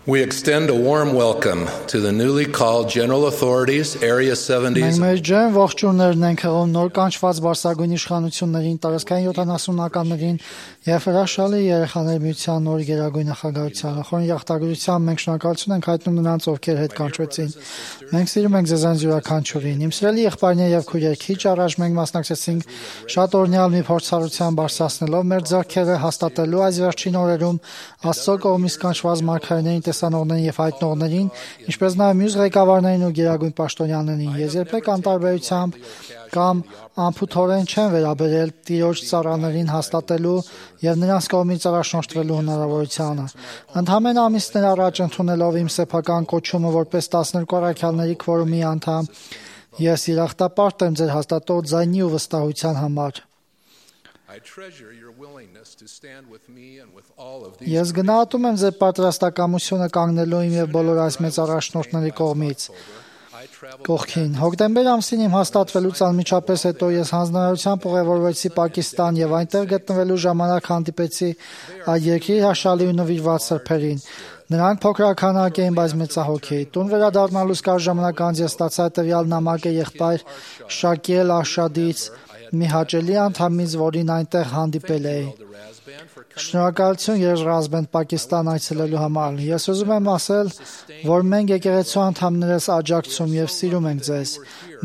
We extend a warm welcome to the newly called General Authorities, Area 70s. Մենք մեր ջերմ ողջույններն ենք հղում նոր կանչված բարձրագույն իշխանություններին, տարածքային 70-ականներին եւ հրաշալի երեխաների միության նոր գերագույն նախագահությանը։ Խորին յաղթագրությամբ մենք շնորհակալություն ենք հայտնում նրանց, ովքեր հետ կանչվեցին։ Մենք սիրում ենք ձեզանց յուրաքանչյուրին։ Իմ սիրելի եղբայրներ եւ քույրեր, քիչ առաջ մենք մասնակցեցինք շատ օրհնյալ մի փորձառության բարձրացնելով մեր ձեռքերը հաստատելու այս վերջին օրերում Աստծո կողմից կանչված մարգարեներին, տեսանողներին եւ հայտնողներին, ինչպես նաեւ մյուս ղեկավարներին ու գերագույն պաշտոնյաներին։ Ես երբեք անտարբերությամբ կամ անփութորեն չեմ վերաբերել Տիրոջ ծառաներին հաստատելու եւ նրանց կողմից առաջնորդվելու հնարավորությանը։ Ընդամենը ամիսներ առաջ ընդունելով իմ սեփական կոչումը որպես 12 առաքյալների քվորումի անդամ, ես երախտապարտ եմ ձեր հաստատող ձայնի ու վստահության համար։ Ես գնահատում եմ ձեր պատրաստակամությունը կանգնելու իմ եւ բոլոր այս մեծ առաջնորդների կողքին։ Հոկտեմբեր ամսին իմ հաստատվելուց անմիջապես հետո ես հանձնարարությամբ ուղևորվեցի Պակիստան եւ այնտեղ գտնվելու ժամանակ հանդիպեցի այդ երկրի հաշալի ու նվիրված սրբերին։ Նրանք փոքրաքանակ էին, բայց մեծահոգի։ Տուն վերադառնալուց կարճ ժամանակ անց ես ստացա տվյալ նամակը եղբայր Շակիել Աշադից, մի հաճելի անդամից, որին այնտեղ հանդիպել էի։ Շնորհակալություն Երազբենդ Պակիստան այցելելու համար։ Ես ուզում եմ ասել, որ մենք եկեղեցու անդամներս աջակցում եւ սիրում ենք ձեզ։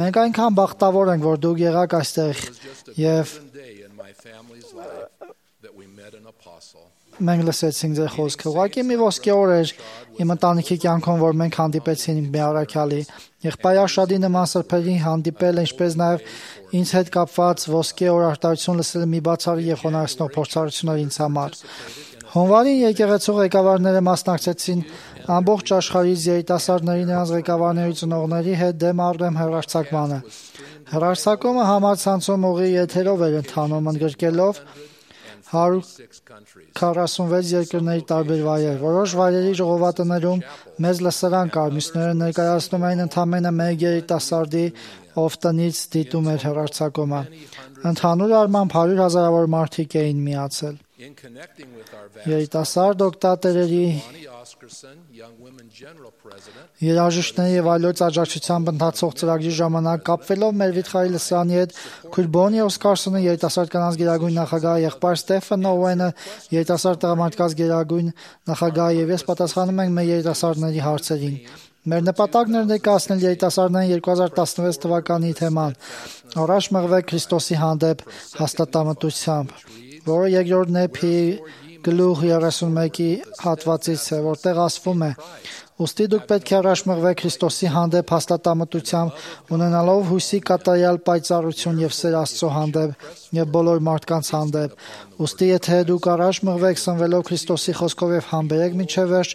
Մենք այնքան բախտավոր ենք, որ դուք եղաք այստեղ եւ մենք լսեցինք ձեր խոսքը։ Ուղղակի մի ոսկե օր էր իմ ընտանիքի կյանքում, որ մենք հանդիպեցինք մի առաքյալի։ Եղբայր Աշադի նման սրբերի հանդիպելը, ինչպես նաև ինձ հետ կապված ոսկե օր արտահայտություն լսելը մի բացառիկ եւ խոնարհեցնող փորձառություն էր ինձ համար։ Հունվարին եկեղեցու ղեկավարները մասնակցեցին ամբողջ աշխարհից երիտասարդների, նրանց ղեկավարների ծնողների հետ դեմ առդեմ հեռարձակմանը։ Հեռարձակումը համացանցում ուղի եթերով էր ընթանում, ընդգրկելով 146 երկրների տարբեր վայրեր։ Որոշ վայրերի ժողովածուներում մեծ լսարան կար, մյուսները ներկայացնում էին ընդամենը մեկ երիտասարդի, ով տնից դիտում էր հեռարձակումը։ Ընդհանուր առմամբ 100,000-ավոր մարդիկ էին միացել։ Երիտասարդ օգտատերերի, երաժիշտների եւ այլոց աջակցությամբ ընթացող ծրագրի ժամանակ կապվելով մեր վիթխարի լսարանի հետ քույր Բոնի Օսկարսոնը, երիտասարդ կանանց գերագույն նախագահը, եղբայր Ստեֆան Օուենը, երիտասարդ տղամարդկանց գերագույն նախագահը եւ ես պատասխանում ենք մեր երիտասարդների հարցերին։ Մեր նպատակն էր ներկայացնել երիտասարդներին 2016 թվականի թեման՝ առաջ մղվեք Քրիստոսի հանդեպ հաստատամտությամբ, որը երկրորդ Նեփի գլուխ 31-ի հատվածից է, որտեղ ասվում է. «Ուստի դուք պետք է առաջ մղվեք Քրիստոսի հանդեպ հաստատամտությամբ, ունենալով հույսի կատարյալ պայծառություն եւ սեր Աստծո հանդեպ եւ բոլոր մարդկանց հանդեպ։ Ուստի եթե դուք առաջ մղվեք սնվելով Քրիստոսի խոսքով եւ համբերեք մինչև վերջ,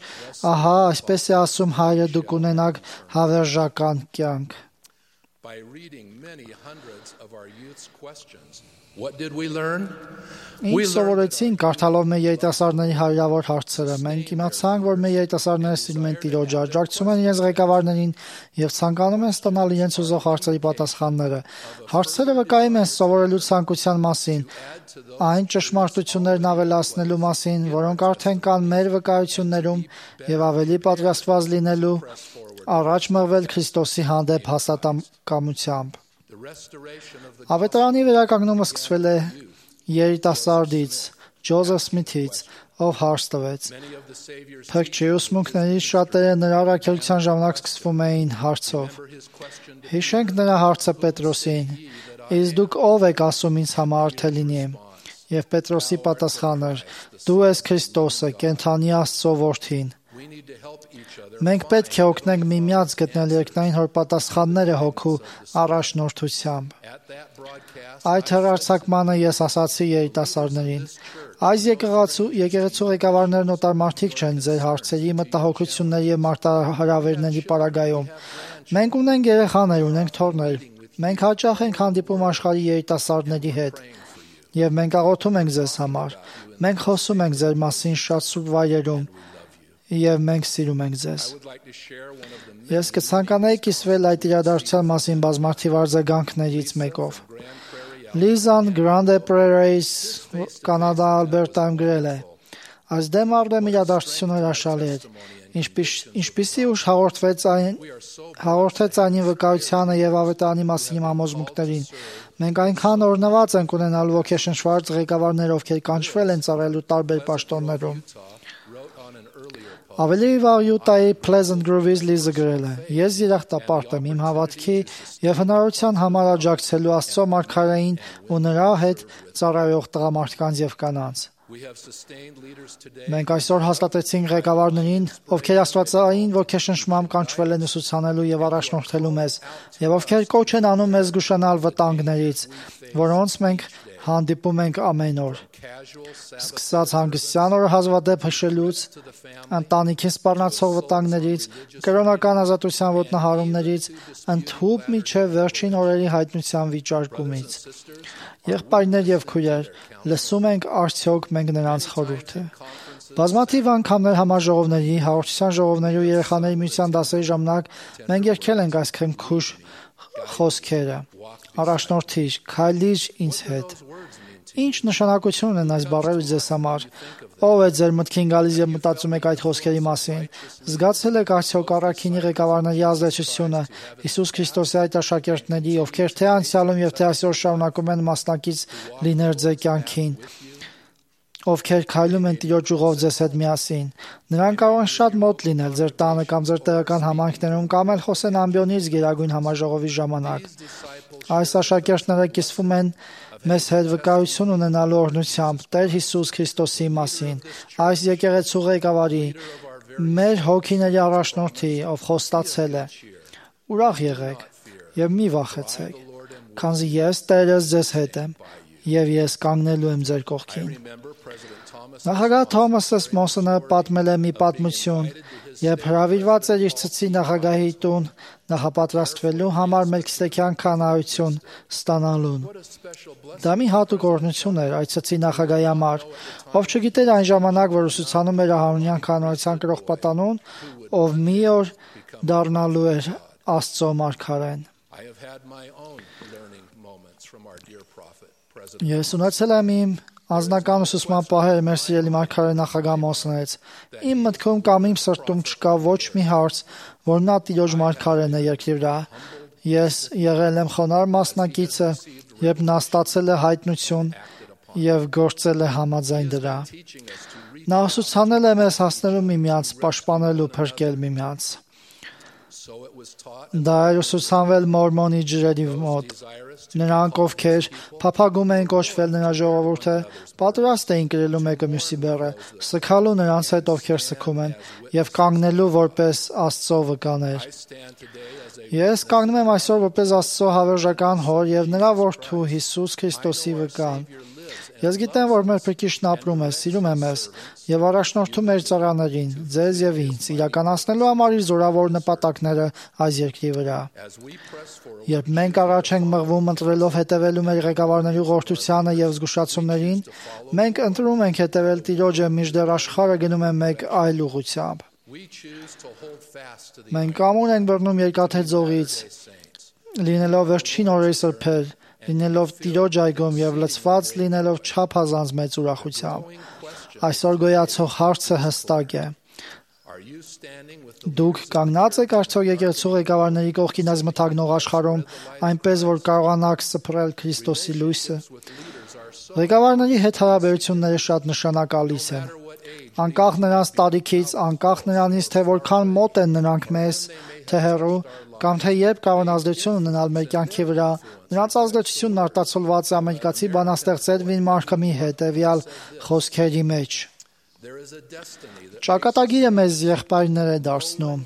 ահա այսպես է ասում Հայրը, դուք ունենաք հավերժական կյանք»։ Ինչ սովորեցինք կարդալով մեր երիտասարդների հարյուրավոր հարցերը։ Մենք իմացանք, որ մեր երիտասարդները սիրում են Տիրոջը, աջակցում են իրենց ղեկավարներին եւ ցանկանում են ստանալ իրենց ուզող հարցերի պատասխանները։ Հարցերը վկայում են սովորելու ցանկության մասին, այն ճշմարտություններն ավելացնելու մասին, որոնք արդեն կան մեր վկայություններում եւ ավելի պատրաստված լինելու առաջ մղվել Քրիստոսի հանդեպ հաստատակամությամբ։ Ավետարանի վերականգնումը սկսվել է երիտասարդից Ջոզեֆ Սմիթից, ով հարց տվեց։ Փրկչի ուսմունքներից շատերը նրա առաքելության ժամանակ սկսվում էին հարցով։ Հիշենք նրա հարցը Պետրոսին. «Իսկ դուք ով եք ասում ինձ համար թե լինեմ»։ Եվ Պետրոսի պատասխանը էր. «Դու ես Քրիստոսը, կենդանի Աստծո Որդին»։ Մենք պետք է օգնենք միմյանց գտնել երկնային հոր պատասխանները հոգու առաջնորդությամբ։ Այդ հեռարձակմանը ես ասացի երիտասարդներին. այս եկեղեցու ղեկավարներն օտար մարդիկ չեն ձեր հարցերի, մտահոգությունների եւ մարտահրավերների պարագայում։ Մենք ունենք երեխաներ, ունենք թոռներ։ Մենք հաճախ ենք հանդիպում աշխարհի երիտասարդների հետ։ Եվ մենք աղոթում ենք ձեզ համար։ Մենք խոսում ենք ձեր մասին շատ սուրբ վայրերում։ Եվ մենք սիրում ենք ձեզ։ Ես կցանկանայի կիսվել այդ իրադարձության մասին բազմաթիվ արձագանքներից մեկով։ Լիզան Գրանդե Պրերեյս Կանադա Ալբերտայում գրել է. Այս դեմ առ դեմ իրադարձությունը հրաշալի էր, ինչպիսի ուժ հաղորդեց այն վկայությանը եւ ավետարանի մասին համոզմունքներին։ Մենք այնքան օրհնված ենք ունենալու ոգեշնչված ղեկավարներ, ովքեր կանչվել են ծառայելու տարբեր պաշտոններում։ Ավելի վաղ Յուտայի Pleasant Grove-ից Լիզը գրել է. «Ես երախտապարտ եմ իմ հավատքի եւ հնարավորության համար աջակցելու Աստծո մարգարեին ու նրա հետ ծառայող տղամարդկանց եւ կանանց»։ Մենք այսօր հաստատեցինք ղեկավարներին, ովքեր աստվածային ոգեշնչմամբ կանչվել են ուսուցանելու եւ առաջնորդելու մեզ, եւ ովքեր կոչ են անում մեզ զգուշանալ վտանգներից, որոնց մենք հանդիպում ենք ամեն օր։ Սկսած հանգստյան օրը հազվադեպ հշելուց, ընտանիքին սպառնացող վտանգներից, կրոնական ազատության ոտնահարումներից, ընդհուպ մինչև վերջին օրերի հայտնության վիճարկումից։ Եղբայրներ եւ քույրեր, լսում ենք արդյոք մենք նրանց խորհուրդը։ Բազմաթիվ անգամներ համաժողովների, հաղորդության ժողովների ու երեխաների միության դասերի ժամանակ մենք երգել ենք այս քնքուշ խոսքերը. «Առաջնորդիր, քայլիր ինձ հետ»։ Ինչ նշանակություն ունեն այս բառերը ձեզ համար։ Ո՞վ է ձեր մտքին գալիս եւ մտածում եք այդ խոսքերի մասին։ Զգացել եք արդյոք առաքինի ղեկավարների ազդեցությունը Հիսուս Քրիստոսի այդ աշակերտների, ովքեր թե անցյալում եւ թե այսօր շարունակում են մասնակից լինել ձեր կյանքին, ովքեր քայլում են Տիրոջ ուղով ձեզ հետ միասին։ Նրանք կարող են շատ մոտ լինել ձեր տանը կամ ձեր տեղական համայնքներում կամ էլ խոսեն ամբիոնից գերագույն համաժողովի ժամանակ։ Այս աշակերտները կիսվում են մեզ հետ վկայություն ունենալու օրհնությամբ Տեր Հիսուս Քրիստոսի մասին, այս եկեղեցու ղեկավարի, մեր հոգիների առաջնորդի, ով խոստացել է. «Ուրախ եղեք եւ մի վախեցեք, քանզի ես Տերս ձեզ հետ եմ եւ ես կանգնելու եմ ձեր կողքին»։ Նախագահ Թոմաս Մոսոնը պատմել է մի պատմություն, երբ հրավիրված էր իր ցցի նախագահի տուն նախապատրաստվելու համար մելքիցեդեկյան քահանայություն ստանալուն։ Դա մի հատուկ օրհնություն էր այդ ցցի նախագահի համար, ով չգիտեր այն ժամանակ, որ ուսուցանում էր Ահարոնյան քահանայության կրող պատանուն, ով մի օր դառնալու էր Աստծո մարգարեն։ Ես ունեցել եմ իմ անձնական ուսուցման պահեր մեր սիրելի մարգարե նախագահ Մոսոնից։ Իմ մտքում կամ իմ սրտում չկա ոչ մի հարց, որ նա Տիրոջ մարգարեն է երկրի վրա։ Ես եղել եմ խոնարհ մասնակիցը, երբ նա ստացել է հայտնություն եւ գործել է համաձայն դրա։ Նա ուսուցանել է մեզ հասնելու միմյանց, պաշտպանել ու փրկել միմյանց։ Դա էր ուսուցանվել մորմոնի ջրերի մոտ։ Նրանք, ովքեր փափագում էին կոչվել նրա ժողովուրդը, պատրաստ էին կրելու մեկը մյուսի բեռը, սգալու նրանց հետ, ովքեր սգում են, եւ կանգնելու որպես Աստծո վկաներ։ Ես կանգնում եմ այսօր որպես Աստծո հավերժական հոր եւ նրա որդու Հիսուս Քրիստոսի վկան։ Ես գիտեմ, որ մեր Փրկիչն ապրում է, սիրում է մեզ եւ առաջնորդում մեր ծառաներին, ձեզ եւ ինձ, իրականացնելու համար իր զորավոր նպատակները այս երկրի վրա։ Երբ մենք առաջ ենք մղվում ընտրելով հետևելու մեր ղեկավարների ուղղորդությանը եւ զգուշացումներին, մենք ընտրում ենք հետևել Տիրոջը, մինչդեռ աշխարհը գնում է մեկ այլ ուղղությամբ։ Մենք կամուր ենք բռնում երկաթե ձողից, լինելով վերջին օրերի սրբեր, լինելով Տիրոջ այգում եւ լցված լինելով չափազանց մեծ ուրախությամբ։ Այսօր գոյացող հարցը հստակ է. Դուք կանգնած եք արդյոք եկեղեցու ղեկավարների կողքին այս մթագնող աշխարհում, այնպես որ կարողանաք սփռել Քրիստոսի լույսը։ Ղեկավարների հետ հարաբերությունները շատ նշանակալից են։ Անկախ նրանց տարիքից, անկախ նրանից, թե որքան մոտ են նրանք մեզ, թե հեռու, կամ թե երբ կարող են ազդեցություն ունենալ մեր կյանքի վրա, նրանց ազդեցությունն արտացոլված է ամերիկացի բանաստեղծ Էդվին Մարքամի հետևյալ խոսքերի մեջ. «Ճակատագիրը մեզ եղբայրներ է դարձնում։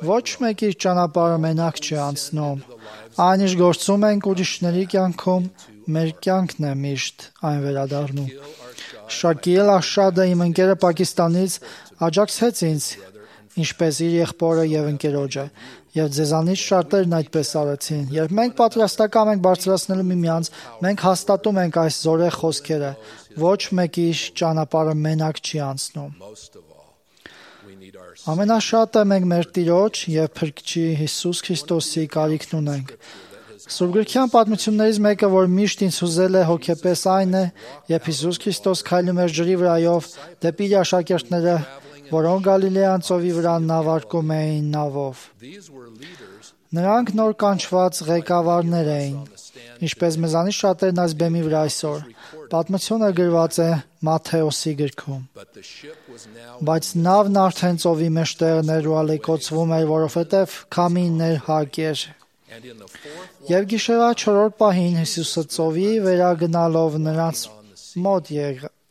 Ոչ մեկ իր ճանապարհը մենակ չի անցնում։ Այն ինչ գործում ենք ուրիշների կյանքում, մեր կյանքն է միշտ այն վերադառնում։ Շակիլ Աշադը, իմ ընկերը Պակիստանից, աջակցեց ինձ, ինչպես իր եղբորը եւ ընկերոջը, եւ ձեզանից շատերն այդպես արեցին։ Երբ մենք պատրաստական ենք բարձրացնելու միմյանց, մենք հաստատում ենք այս զորեղ խոսքերը. ոչ մեկի ճանապարհը մենակ չի անցնում։ Ամենաշատը մենք մեր Տիրոջ եւ Փրկչի Հիսուս Քրիստոսի կարիքն ունենք։ Սուրբգրքյան պատմություններից մեկը, որ միշտ ինձ հուզել է հոգեպես, այն է, երբ Հիսուս Քրիստոս քայլում էր ջրի վրայով դեպի իր աշակերտները, որոնք Գալիլեյան ծովի վրա նավարկում էին նավով։ Նրանք նոր կանչված ղեկավարներ էին, ինչպես մեզանից շատերն այս բեմի վրա այսօր։ Պատմությունը գրված է Մատթեոսի գրքում։ Բայց նավն արդեն ծովի մեջտեղն էր ու ալեկոծվում էր, որովհետև քամին ներհակ էր։ Եվ գիշերվա 4-րդ պահին Հիսուսը ծովի վերագնալով նրանց մոտ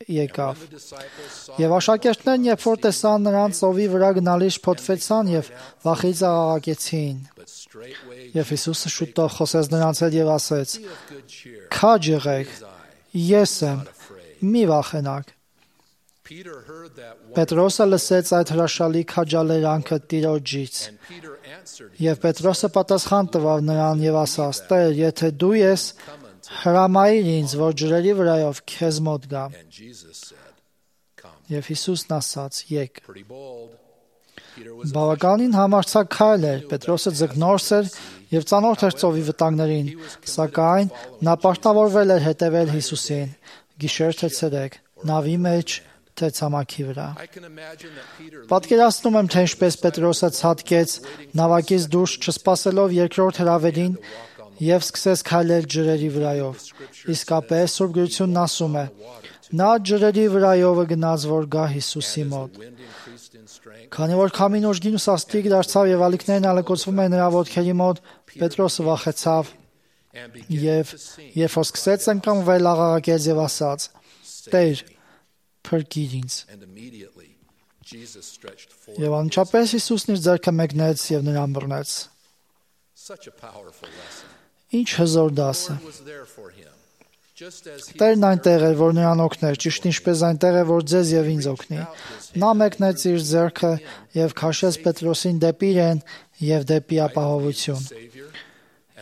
եկավ։ Եվ աշակերտներն, երբ որ տեսան նրան ծովի վրա գնալիս, փոթվեցան եւ վախից աղաղակեցին։ Եվ Հիսուսը շուտով խոսեց նրանց հետ եւ ասեց. «Քաջ եղեք, ես եմ, մի վախենաք»։ Պետրոսը լսեց այդ հրաշալի քաջալերանքը Տիրոջից։ Եվ Պետրոսը պատասխան տվավ նրան եւ ասաց. «Տեր, եթե դու ես, հրամայիր ինձ, որ ջրերի վրայով քեզ մոտ գամ»։ Եվ Հիսուսն ասաց. «Եկ»։ Բավականին համարձակ քայլ էր, Պետրոսը ձկնորս էր եւ ծանոթ էր ծովի վտանգներին, սակայն նա պարտավորվել էր հետևել Հիսուսին, գիշեր թե ցերեկ, նավի մեջ թե ցամաքի վրա։ Պատկերացնում եմ, թե ինչպես Պետրոսը ցատկեց նավակից դուրս, չսպասելով երկրորդ հրավերին եւ սկսեց քայլել ջրերի վրայով։ Իսկապես Սուրբ Գրությունն ասում է. նա ջրերի վրայովը գնաց, որ գա Հիսուսի մոտ։ Քանի որ քամին ուժգին ու սաստիկ դարձավ եւ ալիքներն ալեկոծվում էին նրա ոտքերի մոտ, Պետրոսը վախեցավ եւ երբ որ սկսեց ընկնվել, աղաղակեց եւ ասաց. «Տեր, փրկիր ինձ»։ Եվ անմիջապես Հիսուսն իր ձեռքը մեկնեց եւ նրան բռնեց։ Ինչ հզոր դաս է։ Տերն այնտեղ էր, որ նրան օգներ, ճիշտ ինչպես այնտեղ է, որ ձեզ եւ ինձ օգնի։ Նա մեկնեց իր ձեռքը եւ քաշեց Պետրոսին դեպի իրեն եւ դեպի ապահովություն։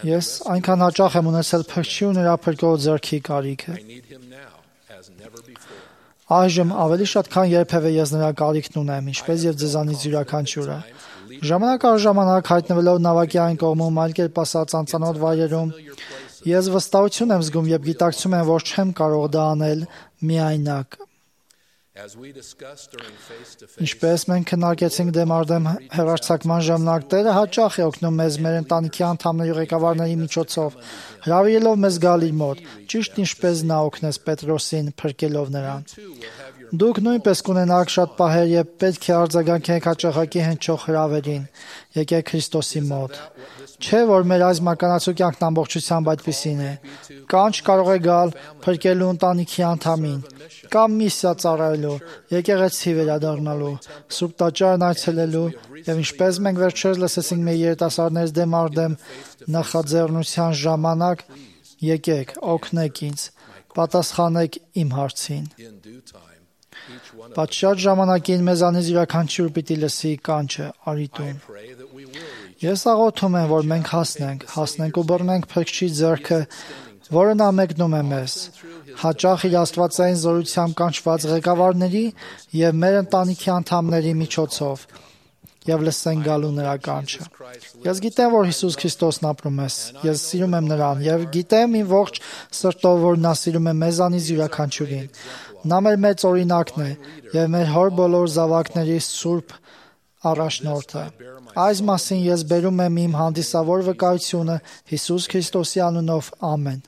Ես այնքան հաճախ եմ ունեցել փրկչի ու նրա փրկող ձեռքի կարիքը։ Այժմ ավելի շատ քան երբևէ ես նրա կարիքն ունեմ, ինչպես եւ ձեզանից յուրաքանչյուրը։ Ժամանակ առ ժամանակ հայտնվելով նավակի այն կողմում, այլ կերպ ասած անծանոթ վայրերում, ես վստահություն եմ զգում եւ գիտակցում եմ, որ չեմ կարող դա անել միայնակ։ Ինչպես մենք քննարկեցինք դեմ առ դեմ հեռարձակման ժամանակ, Տերը հաճախ է օգնում մեզ մեր ընտանիքի անդամների ու ղեկավարների միջոցով, հրավիրելով մեզ գալ իր մոտ, ճիշտ ինչպես նա օգնեց Պետրոսին, փրկելով նրան։ Դուք նույնպես կունենաք շատ պահեր, երբ պետք է արձագանքեք հաճախակի հնչող հրավերին։ Եկեք Քրիստոսի մոտ։ Չէ՞ որ մեր այս մականացու կյանքն ամբողջությամբ այդպիսին է։ Կանչ կարող է գալ փրկելու ընտանիքի անդամին, կամ միսիա ծառայելու, եկեղեցի վերադառնալու, Սուրբ տաճարն այցելելու, եւ ինչպես մենք վերջերս լսեցինք մեր երիտասարդներից դեմ առ դեմ նախաձեռնության ժամանակ, եկեք, օգնեք ինձ, պատասխանեք իմ հարցին։ Պատշաճ ժամանակին մեզանից յուրաքանչյուր պիտի լսի կանչը արի տուն։ Ես աղոթում եմ, որ մենք հասնենք ու բռնենք Փրկչի ձեռքը, որը նա մեկնում է մեզ, հաճախ իր աստվածային զորությամբ կանչված ղեկավարների եւ մեր ընտանիքի անդամների միջոցով, եւ լսենք գալու նրա կանչը։ Ես գիտեմ, որ Հիսուս Քրիստոսն ապրում է, ես սիրում եմ նրան եւ գիտեմ իմ ողջ սրտով, որ նա սիրում է մեզանից յուրաքանչյուրին։ Նա մեր մեծ օրինակն է եւ մեր հոր բոլոր զավակների սուրբ առաջնորդը։ Այս մասին ես բերում եմ իմ հանդիսավոր վկայությունը Հիսուս Քրիստոսի անունով, ամեն։